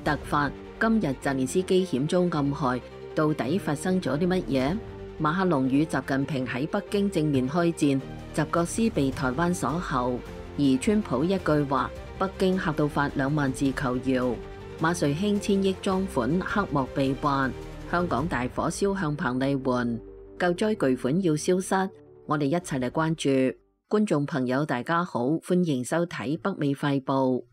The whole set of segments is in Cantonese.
突發，今日澤連斯基險遭暗害，到底發生咗啲乜嘢？馬克龍與習近平喺北京正面開戰，習國師被台灣鎖喉，而川普一句話，北京嚇到發2萬字求饒。馬瑞興1000億贓款黑幕被挖，香港大火燒向彭麗媛，救災巨款要消失，我哋一齊嚟關注。觀眾朋友大家好，歡迎收睇北美快報。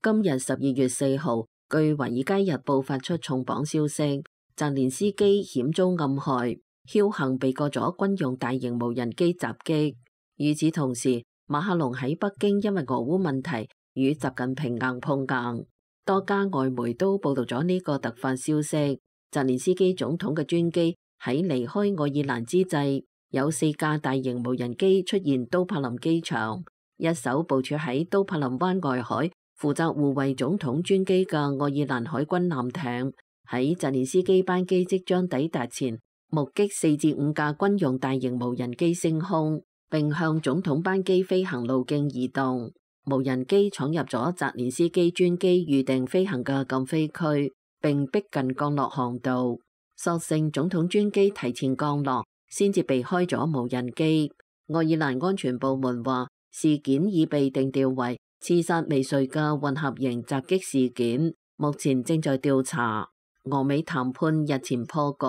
今日12月4號，據《華爾街日報》發出重磅消息，澤連斯基險遭暗害，僥倖避過咗軍用大型無人機襲擊。與此同時，馬克龍喺北京因為俄烏問題與習近平硬碰硬，多家外媒都報道咗呢個突發消息。澤連斯基總統嘅專機喺離開愛爾蘭之際，有4架大型無人機出現都柏林機場，一艘部署喺都柏林灣外海，負責護衛總統專機嘅愛爾蘭海軍艦艇，喺澤連斯基班機即將抵達前，目擊4至5架軍用大型無人機升空，並向總統班機飛行路徑移動。無人機闖入咗澤連斯基專機預定飛行嘅禁飛區，並逼近降落航道。所幸總統專機提前降落，先至避開咗無人機。愛爾蘭安全部門話，事件已被定調為刺殺未遂嘅混合型襲擊事件，目前正在調查。俄美談判日前破局，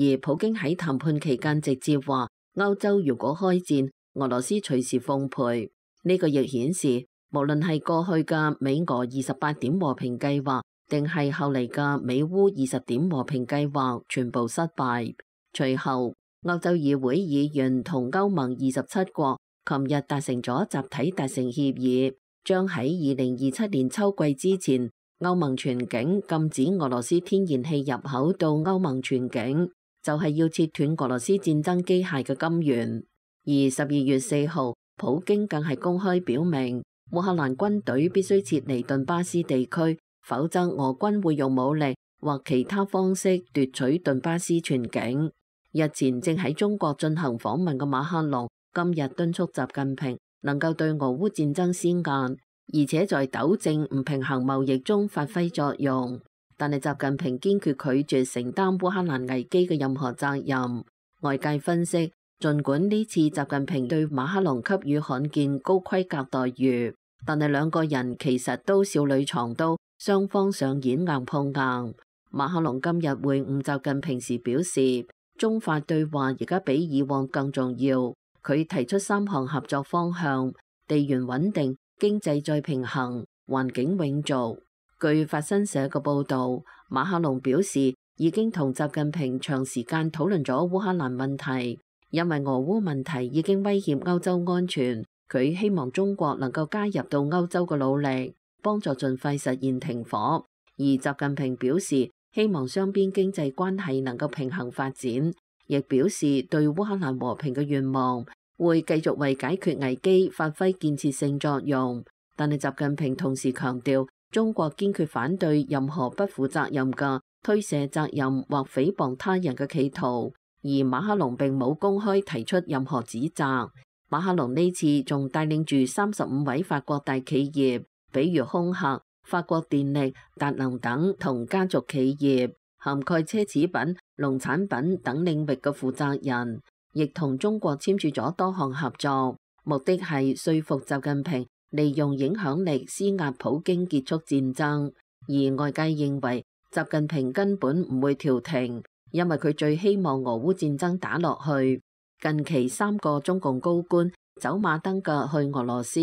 而普京喺談判期間直接話，歐洲如果開戰，俄羅斯隨時奉陪。呢個亦顯示，無論係過去嘅美俄28點和平計劃，定係後嚟嘅美烏20點和平計劃，全部失敗。隨後，歐洲議會議員同歐盟27國琴日達成咗集體達成協議，將喺2027年秋季之前，歐盟全境禁止俄羅斯天然氣入口到歐盟全境，就係要切斷俄羅斯戰爭機械嘅金源。而12月4號，普京更係公開表明，烏克蘭軍隊必須撤離頓巴斯地區，否則俄軍會用武力或其他方式奪取頓巴斯全境。日前正喺中國進行訪問嘅馬克龍，今日敦促習近平能夠對俄烏戰爭施壓，而且在糾正唔平衡貿易中發揮作用。但係習近平堅決拒絕承擔烏克蘭危機嘅任何責任。外界分析，儘管呢次習近平對馬克龍給予罕見高規格待遇，但係兩個人其實都少女藏刀，雙方上演硬碰硬。馬克龍今日會晤習近平時表示，中法對話而家比以往更重要。佢提出3項合作方向：地緣穩定、經濟再平衡、環境永續。據法新社嘅報導，馬克龍表示已經同習近平長時間討論咗烏克蘭問題，因為俄烏問題已經威脅歐洲安全。佢希望中國能夠加入到歐洲嘅努力，幫助盡快實現停火。而習近平表示希望雙邊經濟關係能夠平衡發展，亦表示對烏克蘭和平嘅願望，會繼續為解決危機發揮建設性作用。但係習近平同時強調，中國堅決反對任何不負責任嘅推卸責任或誹謗他人嘅企圖。而馬克龍並冇公開提出任何指責。馬克龍呢次仲帶領住35位法國大企業，比如空客、法國電力、達能等同家族企業，涵蓋奢侈品、農產品等領域嘅負責人，亦同中國簽署咗多項合作，目的係說服習近平利用影響力施壓普京結束戰爭。而外界認為習近平根本唔會調停，因為佢最希望俄烏戰爭打落去。近期3個中共高官走馬燈嘅去俄羅斯，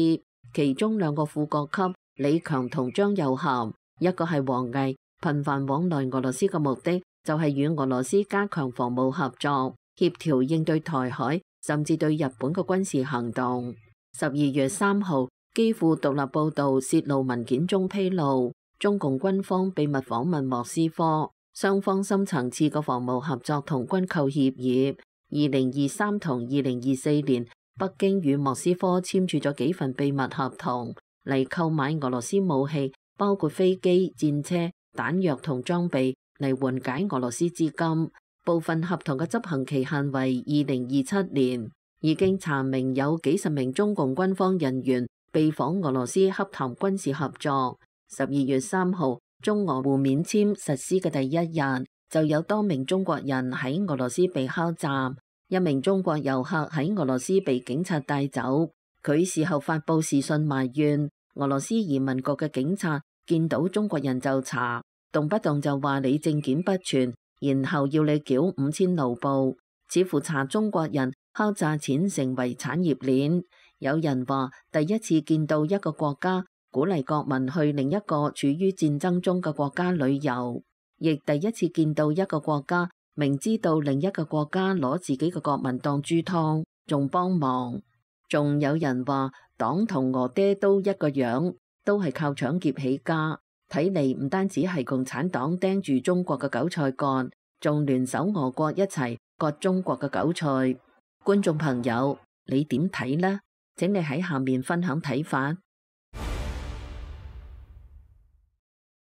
其中2個副國級李強同張又俠，一個係王毅，頻繁往來俄羅斯嘅目的就係與俄羅斯加強防務合作，協調應對台海甚至對日本嘅軍事行動。12月3號，基輔獨立報導泄露文件中披露，中共軍方秘密訪問莫斯科，雙方深層次嘅防務合作同軍購協議。2023同2024年，北京與莫斯科簽署咗幾份秘密合同嚟購買俄羅斯武器，包括飛機、戰車、彈藥同裝備嚟緩解俄羅斯資金。部分合同嘅執行期限為2027年。已經查明有幾十名中共軍方人員被訪俄羅斯洽談軍事合作。12月3號，中俄互免簽實施嘅第一日，就有多名中國人喺俄羅斯被敲詐。一名中國遊客喺俄羅斯被警察帶走，佢事後發佈視訊埋怨，俄羅斯移民局嘅警察見到中國人就查，動不動就話你證件不全，然後要你繳5000盧布，似乎查中國人敲詐錢成為產業鏈。有人話第一次見到一個國家鼓勵國民去另一個處於戰爭中嘅國家旅遊，亦第一次見到一個國家明知道另一個國家攞自己嘅國民當豬湯，仲幫忙。仲有人話黨同俄爹都一個樣，都係靠搶劫起家。睇嚟唔單止係共產黨盯住中國嘅韭菜割，仲聯手俄國一齊割中國嘅韭菜。觀眾朋友，你點睇呢？請你喺下面分享睇法。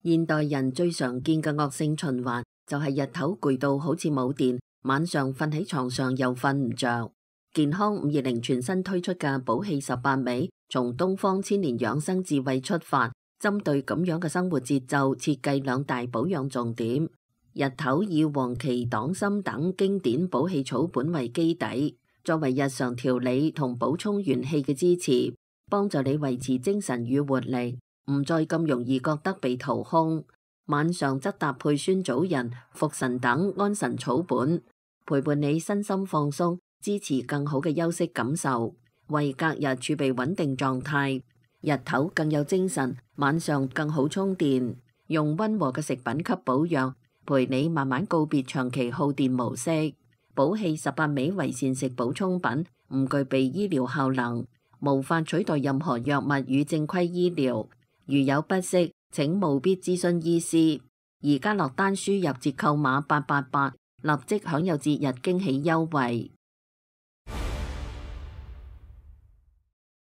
現代人最常見嘅惡性循環就係日頭攰到好似冇電，晚上瞓喺床上又瞓唔着。健康520全新推出嘅寶氣18味，從東方千年養生智慧出發，針對咁樣嘅生活節奏，設計2大保養重點。日頭以黃芪、黨參等經典補氣草本為基底，作為日常調理同補充元氣嘅支持，幫助你維持精神與活力，唔再咁容易覺得被掏空。晚上則搭配酸棗仁、茯神等安神草本，陪伴你身心放鬆，支持更好嘅休息感受，為隔日儲備穩定狀態。日頭更有精神，晚上更好充電。用溫和嘅食品給保養，陪你慢慢告別長期耗電模式。寶氣18味為膳食補充品，唔具備醫療效能，無法取代任何藥物與正規醫療。如有不適，請務必諮詢醫師。而家落單輸入折扣碼888，立即享有節日驚喜優惠。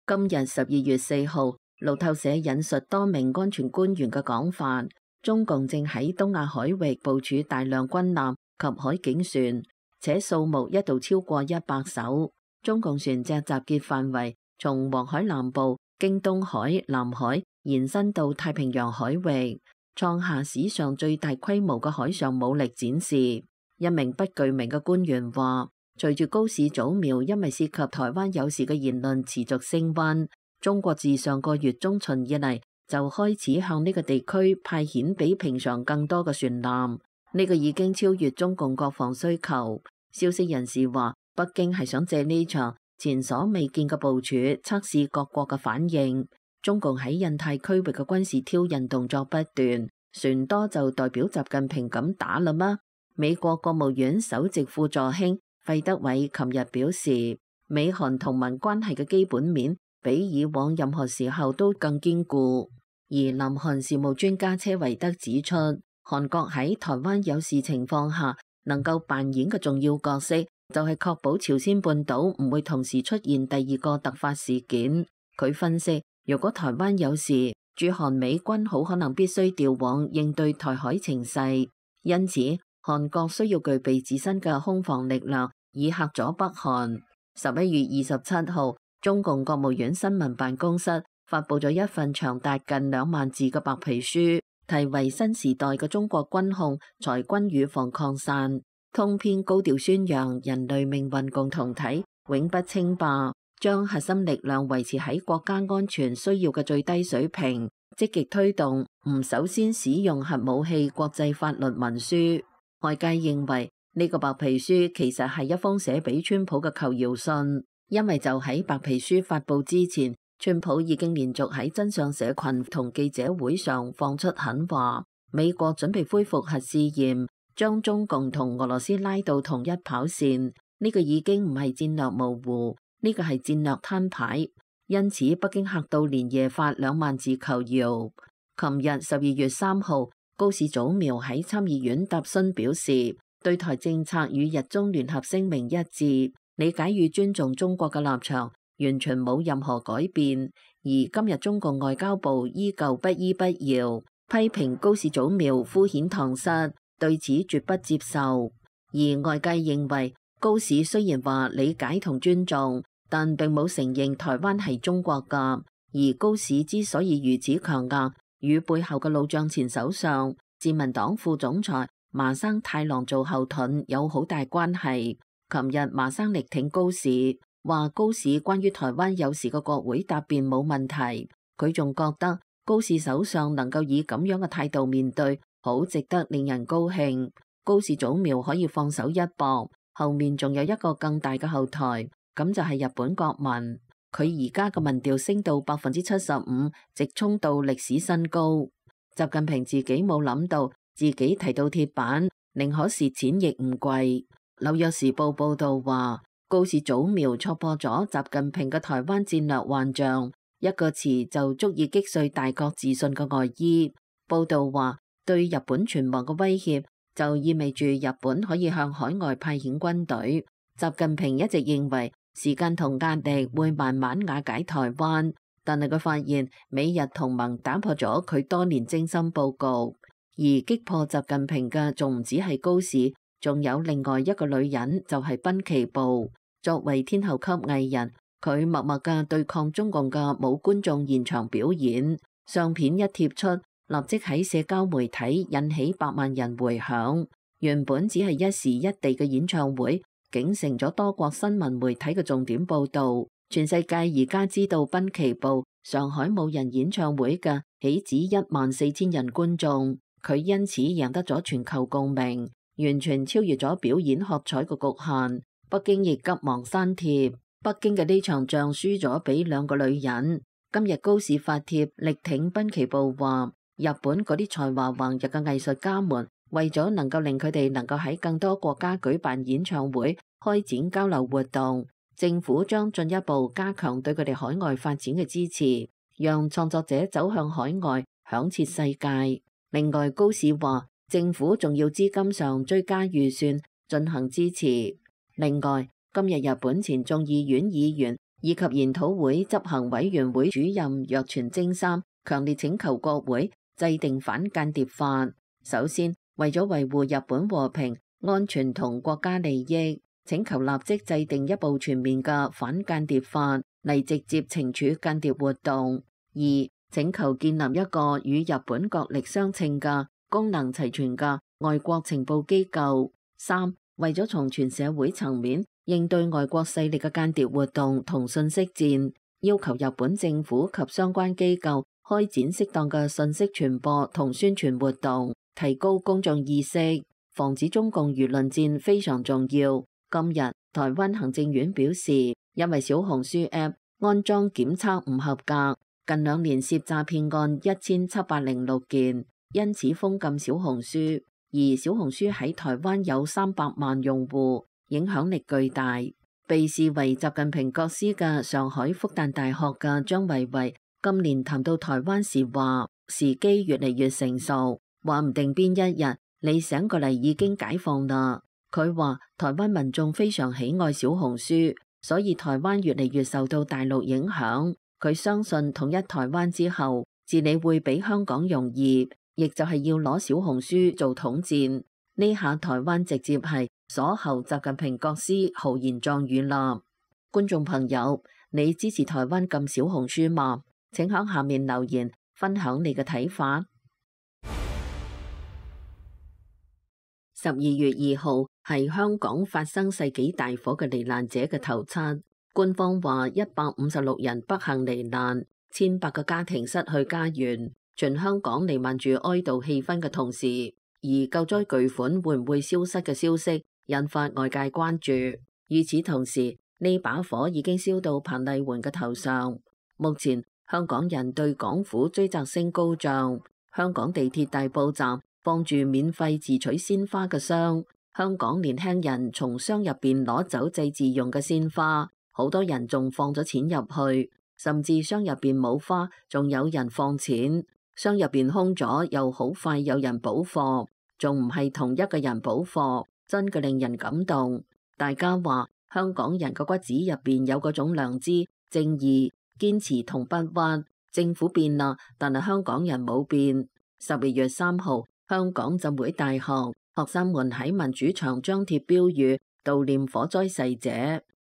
今日12月4號，路透社引述多名安全官員嘅講法，中共正喺東亞海域部署大量軍艦及海警船，且數目一度超過100艘。中共船隻集結範圍從黃海南部經東海、南海延伸到太平洋海域，創下史上最大規模嘅海上武力展示。一名不具名嘅官員話，隨住高市早苗因為涉及台灣有事嘅言論持續升溫，中國自上個月中旬以嚟就開始向呢個地區派遣比平常更多嘅船艦，呢個已經超越中共國防需求。消息人士話，北京係想借呢場前所未見嘅部署測試各國嘅反應。中共喺印太區域嘅軍事挑釁動作不斷，船多就代表習近平咁打啦嗎？美國國務院首席副助卿費德偉琴日表示，美韓同盟關係嘅基本面比以往任何時候都更堅固。而南韓事務專家車維德指出，韓國喺台灣有事情況下能夠扮演嘅重要角色，就係確保朝鮮半島唔會同時出現第二個突發事件。佢分析，如果台灣有事，駐韓美軍好可能必須調往應對台海情勢，因此韓國需要具備自身嘅空防力量，以嚇阻北韓。11月27號，中共國務院新聞辦公室發佈咗一份長達近2萬字嘅白皮書，題為《新時代嘅中國軍控裁軍預防擴散》，通篇高調宣揚人類命運共同體永不稱霸，將核心力量維持喺國家安全需要嘅最低水平，積極推動唔首先使用核武器國際法律文書。外界認為呢個白皮書其實係一封寫俾川普嘅求饒信，因為就喺白皮書發佈之前，川普已經連續喺真相社群同記者會上放出狠話，美國準備恢復核試驗，將中共同俄羅斯拉到同一跑線。呢個已經唔係戰略模糊，呢個係戰略攤牌。因此北京嚇到連夜發2萬字求饒。琴日12月3號，高市早苗喺參議院答詢表示，對台政策與日中聯合聲明一致，理解與尊重中國嘅立場，完全冇任何改變。而今日中共外交部依舊不依不饒，批評高市早苗敷衍搪塞，對此絕不接受。而外界認為高市雖然話理解同尊重，但並冇承認台灣係中國㗎，而高市之所以如此強硬，與背後嘅老將前首相、自民黨副總裁麻生太郎做後盾有好大關係。琴日麻生力挺高市，話高市關於台灣有事嘅國會答辯冇問題。佢仲覺得高市首相能夠以咁樣嘅態度面對，好值得令人高興。高市早苗可以放手一搏，後面仲有一個更大嘅後台，咁就係日本國民。佢而家嘅民調升到75%，直衝到歷史新高。習近平自己冇諗到自己提到鐵板，寧可蝕錢亦唔跪。紐約時報報道話，高市早苗戳破咗習近平嘅台灣戰略幻象，一個詞就足以擊碎大國自信嘅外衣。報道話，對日本存亡嘅威脅就意味住日本可以向海外派遣軍隊。習近平一直認為時間同壓力會慢慢瓦解台灣，但係佢發現美日同盟打破咗佢多年精心佈局，而擊破習近平嘅仲唔止係高市。仲有另外一個女人，就係濱崎步。作為天后級藝人，佢默默嘅對抗中共嘅冇觀眾現場表演，相片一貼出，立即喺社交媒體引起100萬人迴響。原本只係一時一地嘅演唱會，竟成咗多國新聞媒體嘅重點報導。全世界而家知道濱崎步上海冇人演唱會嘅豈止14000人觀眾，佢因此贏得咗全球共鳴。完全超越咗表演喝彩嘅局限，北京亦急忙刪帖。北京嘅呢場仗輸咗俾兩個女人。今日高市發帖力挺濱崎步，話日本嗰啲才華橫溢嘅藝術家們，為咗能夠令佢哋能夠喺更多國家舉辦演唱會、開展交流活動，政府將進一步加強對佢哋海外發展嘅支持，讓創作者走向海外，響徹世界。另外，高市話，政府仲要資金上追加預算進行支持。另外，今日日本前眾議院議員以及研討會執行委員會主任若泉征三強烈請求國會制定反間諜法。首先，為咗維護日本和平、安全同國家利益，請求立即制定一部全面嘅反間諜法嚟直接懲處間諜活動。二，請求建立一個與日本國力相稱嘅功能齊全嘅外國情報機構。三，為咗從全社會層面應對外國勢力嘅間諜活動同信息戰，要求日本政府及相關機構開展適當嘅信息傳播同宣傳活動，提高公眾意識，防止中共輿論戰非常重要。今日台灣行政院表示，因為小紅書 App 安裝檢測唔合格，近2年涉詐騙案1706件。因此封禁小紅書，而小紅書喺台灣有300萬用戶，影響力巨大。被視為習近平國師嘅上海復旦大學嘅張維維今年談到台灣時話，時機越嚟越成熟，話唔定邊一日你醒過嚟已經解放啦。佢話台灣民眾非常喜愛小紅書，所以台灣越嚟越受到大陸影響。佢相信統一台灣之後，治理會比香港容易。亦就係要攞小紅書做統戰，呢下台灣直接係鎖喉習近平國師豪言壯語啦。觀眾朋友，你支持台灣禁小紅書嗎？請喺下面留言分享你嘅睇法。12月2號係香港發生世紀大火嘅罹難者嘅頭七，官方話156人不幸罹難，1100個家庭失去家園。全香港彌漫住哀悼氣氛嘅同時，而救災巨款會唔會消失嘅消息引發外界關注。與此同時，呢把火已經燒到彭麗媛嘅頭上。目前香港人對港府追責聲高漲，香港地鐵大埔站放住免費自取鮮花嘅箱，香港年輕人從箱入邊攞走祭祀用嘅鮮花，好多人仲放咗錢入去，甚至箱入邊冇花，仲有人放錢。箱入邊空咗，又好快有人補貨，仲唔係同一個人補貨，真嘅令人感動。大家話香港人個骨子入邊有嗰種良知、正義、堅持同不屈。政府變啦，但係香港人冇變。12月3號，香港浸會大學學生們喺民主牆張貼標語悼念火災逝者，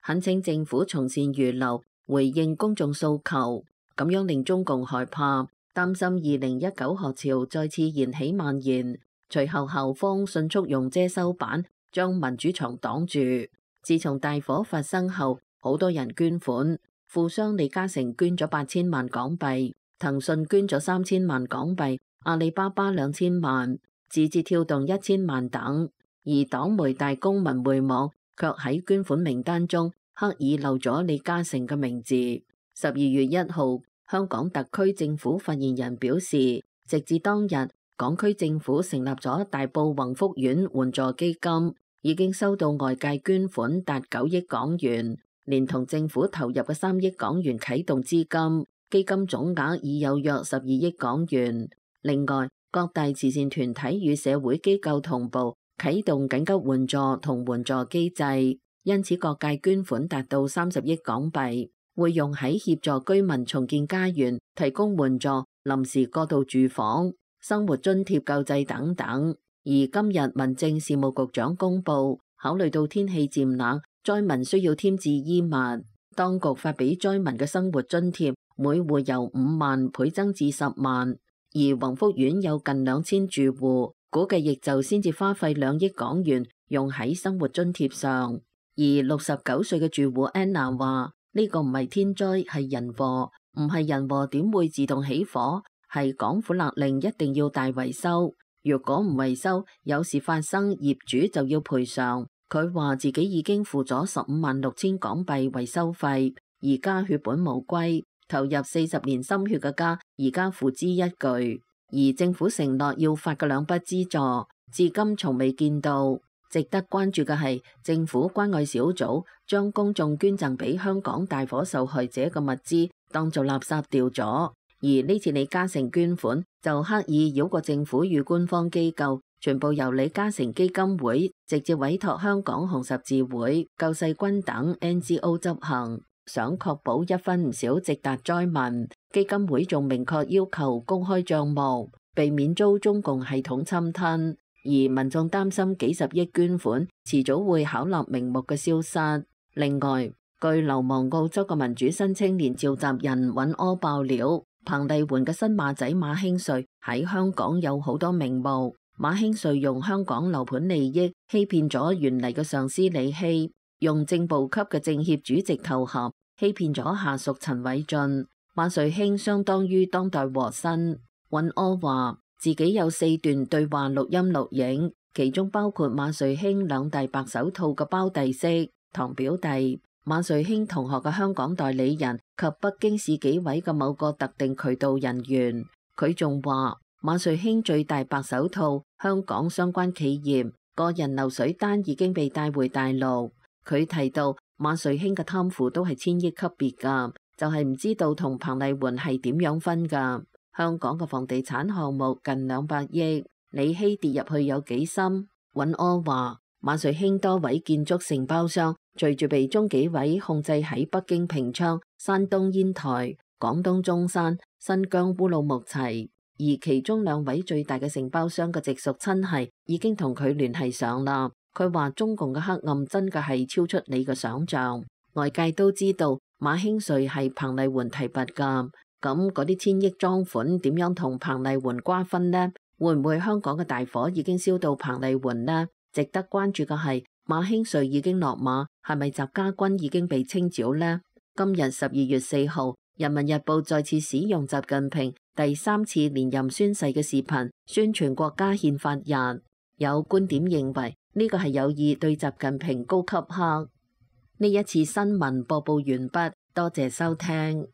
懇請政府從善如流，回應公眾訴求。咁樣令中共害怕，擔心2019學潮再次燃起蔓延。隨後校方迅速用遮羞板將民主牆擋住。自從大火發生後，好多人捐款，富商李嘉誠捐咗8000萬港幣，騰訊捐咗3000萬港幣，阿里巴巴2000萬，字節跳動1000萬等。而黨媒大公文匯網卻喺捐款名單中刻意漏咗李嘉誠嘅名字。12月1號，香港特區政府發言人表示，直至當日，港區政府成立咗大埔宏福苑援助基金，已經收到外界捐款達9億港元，連同政府投入嘅3億港元啟動資金，基金總額已有約12億港元。另外，各大慈善團體與社會機構同步啟動緊急援助同援助機制，因此各界捐款達到30億港幣，會用喺協助居民重建家園、提供援助、臨時過渡住房、生活津貼救濟等等。而今日民政事務局長公布，考慮到天氣漸冷，災民需要添置衣物，當局發俾災民嘅生活津貼每戶由5萬倍增至10萬。而宏福苑有近2000住戶，估計亦就先至花費2億港元用喺生活津貼上。而69歲嘅住戶 Anna 話：呢個唔係天災，係人禍，唔係人禍點會自動起火？係港府勒令一定要大維修，如果唔維修，有事發生，業主就要賠償。佢話自己已經付咗156000港幣維修費，而家血本無歸。投入40年心血嘅家，而家付之一炬。而政府承諾要發嘅2筆資助，至今從未見到。值得關注嘅係，政府關愛小組將公眾捐贈俾香港大火受害者嘅物資當做垃圾掉咗。而呢次李嘉誠捐款就刻意繞過政府與官方機構，全部由李嘉誠基金會直接委託香港紅十字會、救世軍等 NGO 執行。想確保一分唔少直達災民，基金會仲明確要求公開賬目，避免遭中共系統侵吞。而民眾擔心幾十億捐款遲早會巧立名目嘅消失。另外，據流亡澳洲嘅民主新青年召集人尹柯爆料，彭麗媛嘅新馬仔馬興瑞喺香港有好多名目。馬興瑞用香港樓盤利益欺騙咗原嚟嘅上司李希，用正部級嘅政協主席頭銜欺騙咗下屬陳偉俊。馬瑞興相當於當代和珅。尹柯話自己有4段對話錄音錄影，其中包括馬瑞興2大白手套嘅胞弟媳、堂表弟、馬瑞興同學嘅香港代理人及北京市紀委嘅某個特定渠道人員。佢仲話馬瑞興最大白手套香港相關企業個人流水單已經被帶回大陸。佢提到馬瑞興嘅貪腐都係1000億級別㗎，就係唔知道同彭麗媛係點樣分㗎。香港嘅房地產項目近200億，李希跌入去有幾深？尹柯話馬瑞興多位建築承包商隨住被中紀委控制喺北京平昌、山東煙台、廣東中山、新疆烏魯木齊，而其中2位最大嘅承包商嘅直屬親系已經同佢聯繫上啦。佢話中共嘅黑暗真嘅係超出你嘅想象。外界都知道馬興瑞係彭麗媛提拔㗎，咁嗰啲1000億贓款點樣同彭麗媛瓜分呢？會唔會香港嘅大火已經燒到彭麗媛呢？值得關注嘅係馬興瑞已經落馬，係咪習家軍已經被清剿呢？今日12月4號，《人民日報》再次使用習近平第3次連任宣誓嘅視頻宣傳國家憲法日。有觀點認為呢個係有意對習近平高級黑。呢一次新聞播報完畢，多謝收聽。